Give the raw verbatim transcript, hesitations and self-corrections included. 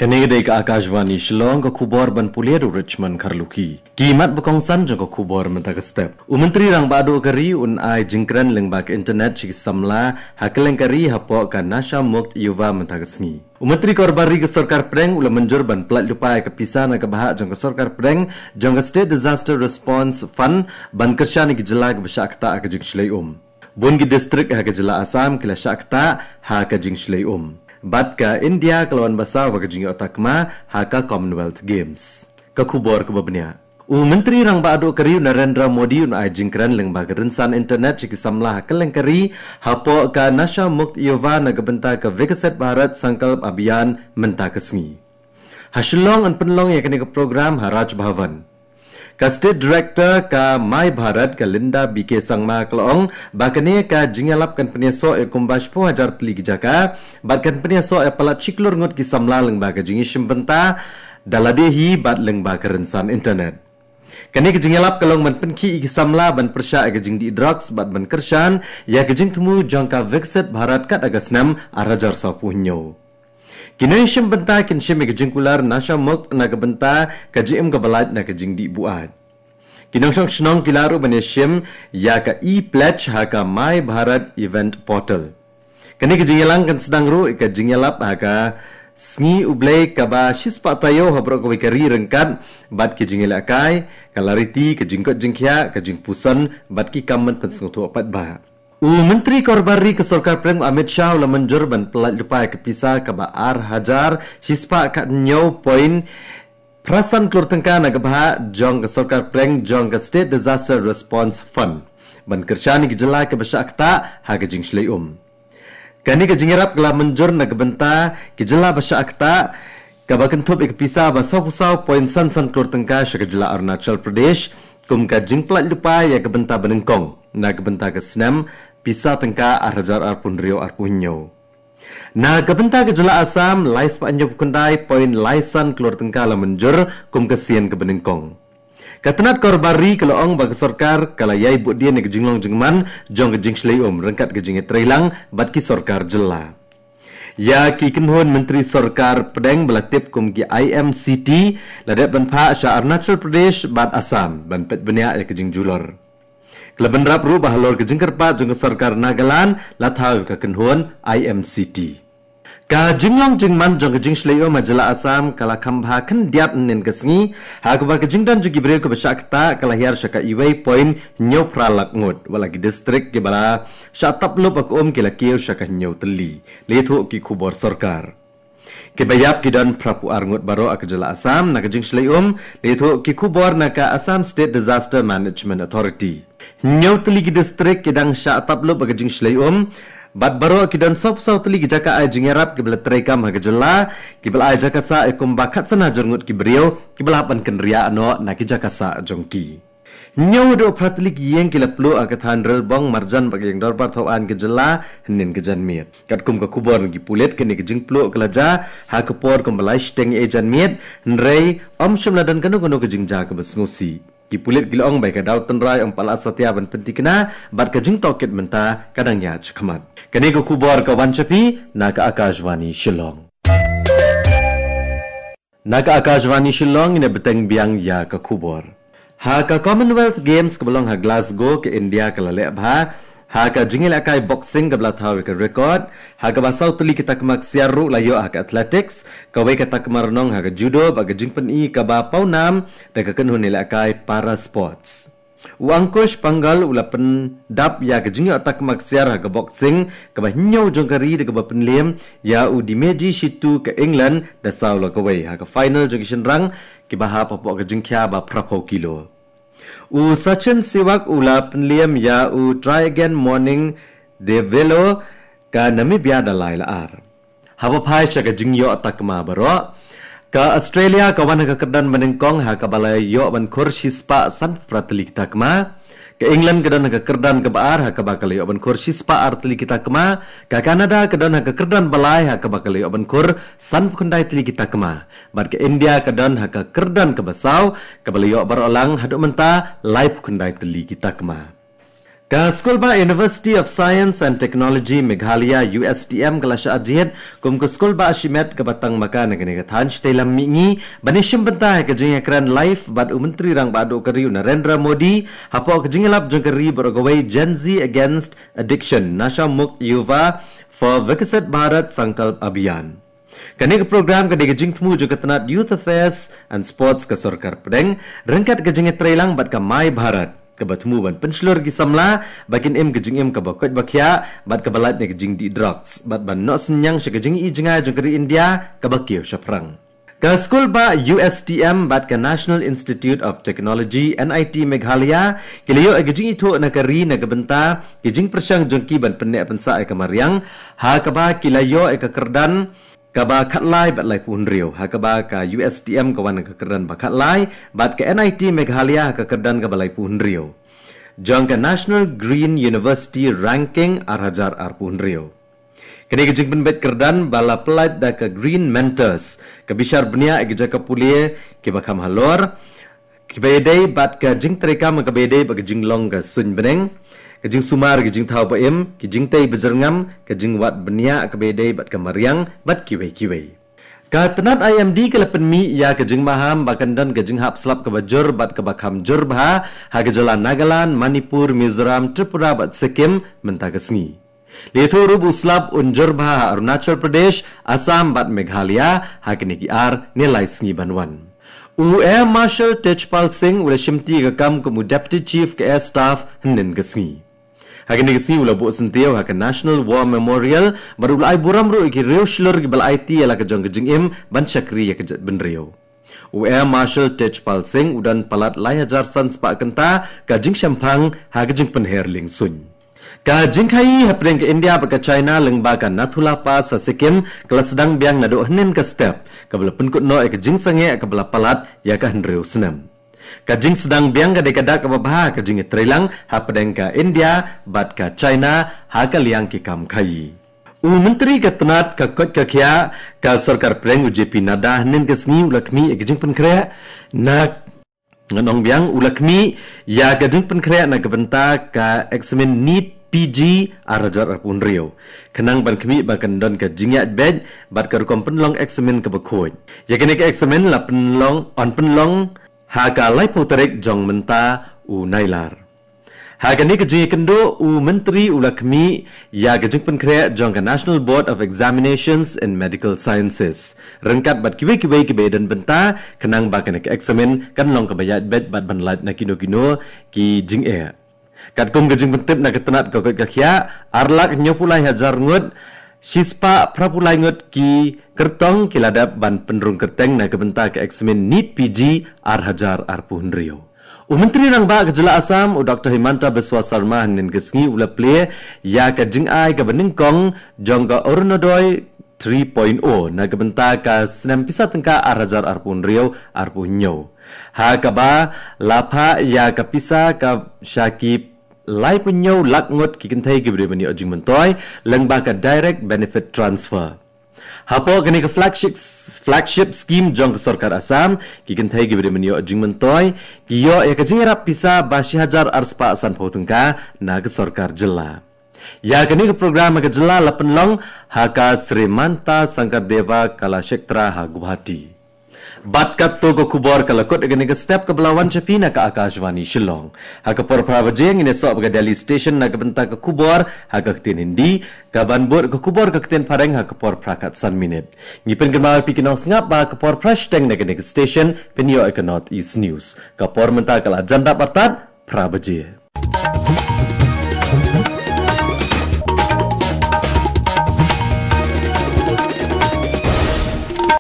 Kane ka dei ka Akashvani Shillong, ka khubor ban pule da u Richmond Kharlukhi. Ki mat ba kongsan jong ka khubor mynta ka step. U Myntri Rangbah Duh ka ri un ai jingkren lyngba ka internet sha ki samla ha kylleng ka ri hapoh ka Nasha Mukt Yuva mynta ka sngi. U Myntri Karobar Ri ka Sorkar Pdeng u la mynjur ban pyllait lypa ïa ka pisa na ka bhah jong ka Sorkar Pdeng jong ka State Disaster Response Fund ban kyrshan ïa ki jylla kiba shah ktah ha ka jingshlei um. Bun ki distrik ha ka jylla Assam ki la shah ktah ha ka jingshlei um. Bad ka India ka la wan ba saw ha ka jingïoh takma ha ka Commonwealth Games. Ka khubor kaba bniah. U Myntri Rangbah Duh ka ri u Narendra Modi un ai jingkren lyngba ka rynsan internet sha ki samla ha kylleng ka ri hapoh ka Nasha Mukt Yuva na ka bynta ka Viksit Bharat Sankalp Abhiyan mynta ka sngi. Ha Shillong yn pynlong ïa kane ka program ha Raj Bhavan. Ka State Director ka My Bharat ka Linda B K Sangma ka la ong ba kane ka jingïalap kan pynïasoh ïa kumba shiphew hajar tylli ki jaka bad kan pynïasoh ïa palat shi klur ngut ki samla lyngba ka jingïashim bynta da lade hi bad lyngba ka rynsan internet. Kane ka jingïalap ka long ban pynkhih ïa ki samla ban pyrshah ïa ka jingdih drugs bad ban kyrshan ïa ka jingthmu jong ka Viksit Bharat kat ha ka snem ar hajar sawphew hynñiew. Ki nongshim bynta kin shim ïa ka jingkular Nasha Mukt na ka bynta ka jingim kaba lait na ka jingdih buaid. Ki nongshong shnong ki lah ruh ban ïashim ïa ka e-pledge ha ka My Bharat Event Portal. Kane ka jingïalang kan sdang ruh ïa ka jingïalap ha ka Sngi U Blei kaba shispah taïew ha baroh kawei ka ri ryngkat bad ki jingïalehkai, ka lariti, ka jingkoit jingkhiah, ka jingpuson bad ki kam ban pynsngewthuh paidbah. U Myntri Karobar Ri ka Sorkar Pdeng Amit Shah u la mynjur ban pyllait lypa ïa ka pisa kaba ar hajar shispah khathynñiew point phra san klur tyngka na ka bhah jong ka Sorkar Pdeng jong ka State Disaster Response Fund ban kyrshan ïa ki jylla kiba shah ktah ha ka jingshlei um. Kane ka jingïarap ka la mynjur na ka bynta ki jylla ba shah ktah kaba kynthup ïa ka pisa ba sawphew saw point san san klur tyngka sha ka jylla Arunachal Pradesh kum ka jingpyllait lypa ïa ka bynta banyngkong na ka bynta ka snem pisa tyngka ar hajar arphew hynriew arphew hynñiew. Na ka bynta ka jylla Assam, lai spah hynñiewphew khyndai point lai san klur tyngka la mynjur kum ka sien kaba nyngkong. Ka tnat karobar ri ka la ong ba ka sorkar ka la ïai buddien ïa ka jinglong jingman jong ka jingshlei um ryngkat ka jingïatreilang bad ki sorkar jylla. Ïa ki kynhun myntri sorkar pdeng ba la tip kum ki I M C T la dep ban phah sha Arunachal Pradesh bad Assam ban peit bniah ïa ka jingjulor. Ka la bynrap ruh ba halor ka jingkyrpad jong ka sorkar Nagaland la thaw ïa ka kynhun I M C T. Ka jinglong jingman jong ka jingshlei um ha jylla Assam ka la kham bha khyndiat hynnin ka sngi, ha kaba ka jingdon jong ki briew kiba shah ktah ka la hiar sha ka iwei point hynñiew phra lak ngut, wat la ki distrik kiba la shah tap lup ha ka um ki la kiew sha ka hynñiew tylli. La ïathuh ki khubor sorkar. Kiba ïap ki don phra phew ar ngut baroh ha ka jylla Assam na ka jingshlei um, la ïathuh ki khubor na ka Assam State Disaster Management Authority. Hynñiew tylli ki distrik ki dang shah tap lup ha ka jingshlei um, bad baroh ki don sawphew saw tylli ki jaka ai jingïarap kiba la treikam ha ka jylla, kiba la ai jaka sah ïa kumba khatsan hajar ngut ki briew kiba la hap ban kynriah noh na ki jaka sah jong ki. Hynñiew haduh phra tylli ki ïing ki la pluh ha ka thaiñ Rilbong marjan bad ka ïing dorbar thaw aiñ ka jylla hynnin ka janmiet. Katkum ka khubor na ki pulit, kane ka jingpluh ka la jia ha ka por kumba lai shiteng ïa janmiet, hynrei ym shym la don kano kano ka jingjia kaba sngewsih. Ki pulit ki la ong ba ïa ka daw tynrai ym pat la satia ban pynthikna bad ka jingtohkit mynta ka dang ïaid shakhmat. Kane ka khubor ka wan sha phi na ka Akashvani Shillong. Na ka Akashvani Shillong ngin ïa bteng biang ïa ka khubor. Ha ka Commonwealth Games kaba long ha Glasgow, ka India ka la leh bha ha ka jingïalehkai boxing kaba la thaw ïa ka record, ha kaba saw tylli ki takma ksiar ruh la ïoh ha ka athletics, kawei ka takma rnong ha ka judo bad ka jingpyni kaba pawnam da ka kynhun ïalehkai para sports. U Ankush Panghal u la pyndap ïa ka jingïoh takma ksiar ha ka boxing kaba hynñiew jong ka ri da kaba pynliem ïa u Dimeji Shitu ka England da saw la kawei ha ka final jong ki shynrang kiba hap hapoh ka jingkhia ba phra phew kilo. U Sachin Sewak u la pynliem ïa u Try Again Morning Develo ka Namibia da lai la ar. Haba phai sha ka jingïoh takma baroh, ka Australia ka wan ha ka kyrdan banyngkong ha kaba la ïoh ban khur shispah sanphew phra tylli ki takma. Ka England ka don ha ka kyrdan kaba ar ha kaba ka la ïoh ban khur shispah ar tylli ki takma. Ka Canada ka don ha ka kyrdan balai ha kaba ka la ïoh ban khur sanphew khyndai tylli ki takma. Bad ka India ka don ha ka kyrdan kaba saw kaba la ïoh baroh lang haduh mynta laiphew khyndai tylli ki takma. Ka Skulbah University of Science and Technology Meghalaya, U S T M, ka la shah jied kum ka skulbah shimet kaba tang maka na kane ka thaiñ shatei lam mihngi ban ïashim bynta ha ka jingïakren live bad u Myntri Rangbah Duh ka ri u Narendra Modi hapoh ka jingïalap jong ka ri baroh kawei, Gen Z Against Addiction, Nasha Mukt Yuva for Viksit Bharat Sankalp Abhiyan. Kane ka program ka dei ka jingthmu jong ka tnat Youth Affairs and Sports ka Sorkar Pdeng ryngkat ka jingïatreilang bad ka My Bharat, kaba thmu ban pynshlur ki samla ba kin im ka jingim kaba koit ba khiah bad kaba lait na ka jingdih drugs bad ban noh synñiang sha ka jingïohi jngai jong ka ri India kaba kiew shaphrang. Ka skulbah U S T M bad ka National Institute of Technology, N I T, Meghalaya ki la ïoh ïa ka jingithuh na ka ri na ka bynta ki jingpyrshang jong ki ban pynneh pynsah ïa ka mariang, ha kaba ki la ïoh ïa ka kyrdan kaba khatlai bad laiphew hynriew, ha kaba ka U S T M ka wan ha ka kyrdan ba khatlai bad ka N I T Meghalaya ha ka kyrdan kaba laiphew hynriew jong ka National Green University Ranking ar hajar arphew hynriew. Kane ka jingpynbeit kyrdan ba la pyllait da ka Green Mentors ka bishar bniah ïa ki jaka pule kiba kham halor, kiba ïadei bad ka jingtreikam kaba ïadei bad ka jinglong ka suiñ bneng, ka jingsumar ka jingthaw ba im, ki jingtei ba jyrngam, ka jingwad bniah kaba ïadei bad ka mariang bad kiwei kiwei. Ka tnat I M D ka la pynmih ïa ka jingmaham ba kan don ka jinghap slap kaba jur bad kaba kham jur bha ha ka jylla Nagaland, Manipur, Mizoram, Tripura bad Sikkim mynta ka sngi. La ïathuh ruh ba u slap un jur bha ha Arunachal Pradesh, Assam bad Meghalaya ha kine ki ar ne lai sngi ban wan. U Air Marshal Tejpal Singh u la shimti ïa ka kam kum u Deputy Chief ka Air Staff hynnin ka sngi. Ha kane ka sngi u la buh syntiew ha ka National War Memorial bad u la ai burom ruh ïa ki riew shlur kiba la aiti ïa la ka jong ka jingim ban shakri ïa ka jaitbynriew. U Air Marshal Tejpal Singh u don palat lai hajar san spah kynta ka jingshemphang ha ka jingpynher liengsuiñ. Ka jingkhaïi hapdeng ka India bad ka China lyngba ka Nathula Pass ha Sikkim ka la sdang biang naduh hynnin ka step, kaba la pynkut noh ïa ka jingsangeh kaba la palat ïa ka hynriew snem. Ka jingsdang biang ka dei ka dak kaba bha ka jingïatreilang hapdeng ka India bad ka China ha ka liang ki kam khaïi. U Myntri ka tnat ka koit ka khiah ka Sorkar Pdeng u J P Nadda hynnin ka sngi u la khmih ïa ka jingpynkhreh na, ngan ong biang, u la khmih ïa ka jingpynkhreh na ka bynta ka eksamin NEET P G ar hajar arphew hynriew, khnang ban khmih ba kan don ka jingïaid beit bad ka rukom pynlong eksamin kaba khuid. Ïa kane ka eksamin la pynlong, yn pynlong ha ka laiphew tarik jong mynta u Nailar. Ha kane ka jingïakynduh u Myntri u la khmih ïa ka jingpynkhreh jong ka National Board of Examinations in Medical Sciences ryngkat bad kiwei kiwei kiba ïadon bynta, khnang ba kane ka eksamin kan long kaba ïaid beit bad ban lait na kino kino ki jingeh. Katkum ka jingpyntip na ka tnat ka koit ka khiah, ar lak hynñiewphew lai hajar ngut shispah phraphew lai ngut ki kyrtong ki la dep ban pynrung kyrteng na ka bynta ka eksamin NEET P G ar hajar arphew hynriew. U Myntri Rangbah ka Jylla Assam, u Doktor Himanta Biswa Sarma, hynnin ka sngi u la plie ïa ka jingai kaba nyngkong jong ka Orunodoi three point oh na ka bynta ka snem pisa tyngka ar hajar arphew hynriew arphew hynñiew, ha kaba la phah ïa ka pisa ka sha ki laiphew hynñiew lak ngut ki kynthei kiba dei ban ïoh jingmyntoi lyngba ka Direct Benefit Transfer. Hapoh kane ka flagship, flagship scheme jong ka Sorkar Assam, ki kynthei kiba dei ban ïoh jingmyntoi ki ïoh ïa ka jingïarap pisa ba shi hajar arspah sanphew tyngka na ka Sorkar Jylla. Ïa kane ka program ha ka jylla la pynlong ha ka Srimanta Sankardeva Kalakshetra ha Guwahati. Bad katto ka khubor ka la kut ha kane ka step kaba la wan sha phi na ka Akashvani Shillong. Ha ka por phra baje ngin ïasoh bad ka Delhi Station na ka bynta ka khubor ha ka ktien Hindi, kaban bud ka khubor ka ktien Phareng ha ka por phra khatsan minit. Ngi pynkynmaw ïa phi ki nongsngap ba ha ka por phra shiteng na kane ka station phin ïoh ïa ka North East News. Ka por mynta ka la jan dap artat phra baje.